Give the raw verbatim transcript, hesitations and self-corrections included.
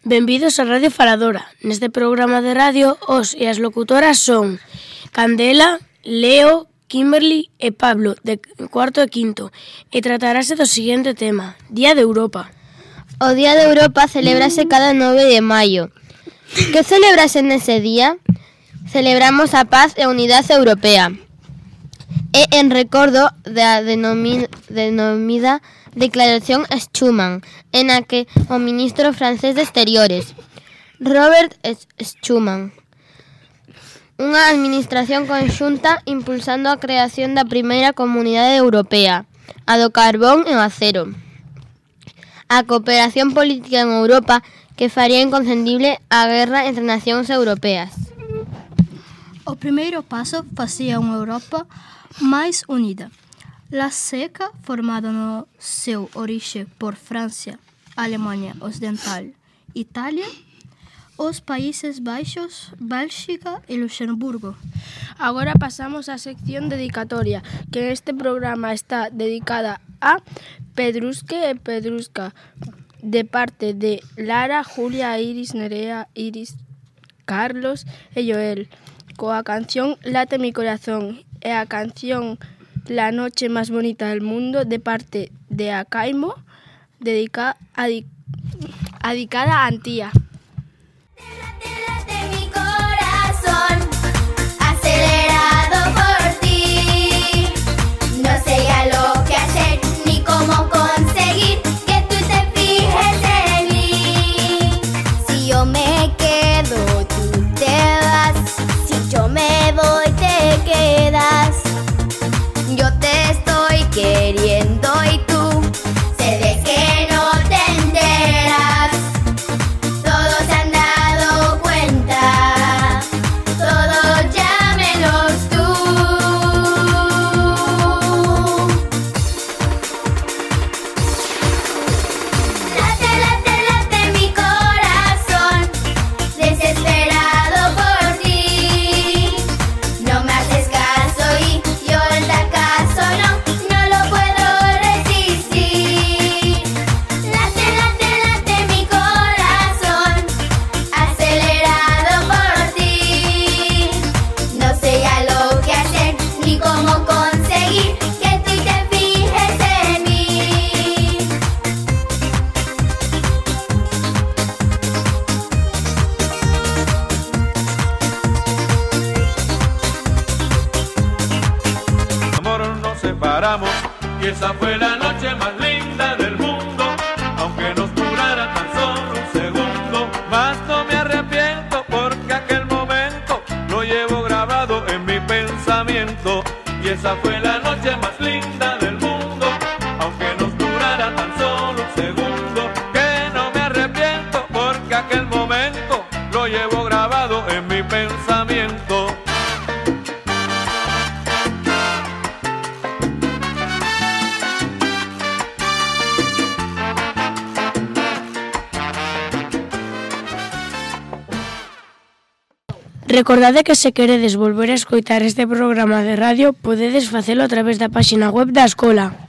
Benvidos a Radio Faladora. Neste programa de radio, os e as locutoras son Candela, Leo, Kimberly e Pablo, de cuarto e quinto, e tratarase do seguinte tema, Día de Europa. O Día de Europa celébrase cada nove de maio. Que celébrase nese día? Celebramos a paz e a unidade europea. E en recordo da denomi- denomida Declaración Schuman, en a que o ministro francés de Exteriores, Robert Schuman, unha administración conxunta impulsando a creación da primeira comunidade europea, a do carbón e o acero. A cooperación política en Europa que faría inconcendible a guerra entre nacións europeas. O primeiro paso facía unha Europa máis unida. La seca, formada no seu orixe por Francia, Alemanha Ocidental, Italia, os Países Baixos, Bélxica e Luxemburgo. Agora pasamos á sección dedicatoria, que este programa está dedicada a Pedrusque e Pedrusca, de parte de Lara, Julia, Iris, Nerea, Iris, Carlos e Joel, coa canción Late mi corazón e a canción La noche más bonita del mundo, de parte de Acaimo, dedica, adi, dedicada a Antía. Late, late mi corazón, acelerado por ti. No sé ya lo que hacer ni cómo conseguir que tú te fijes en mí. Si yo me quedo, tú te vas. Si yo me voy, te quedas. Yo te estoy queriendo y tú se ve que no te enteras. Todos se han dado cuenta, todos ya menos tú. Late, late, late mi corazón, desesperado por ti. No me haces caso y yo en la caso no, no lo puedo resistir. Late, late, late mi corazón, acelerado por ti. No sé ya lo que hacer ni cómo conseguir que tú te fijes en mí. Amor nos separamos y esa fue la noche más linda del mundo, aunque nos durara tan solo un segundo. Mas no me arrepiento porque aquel momento lo llevo grabado en mi pensamiento. Y esa fue la noche más linda del mundo, aunque nos durara tan solo un segundo. Que no me arrepiento porque aquel momento lo llevo grabado en mi pensamiento. Recordade que se queredes volver a escoitar este programa de radio, podedes facelo a través da páxina web da escola.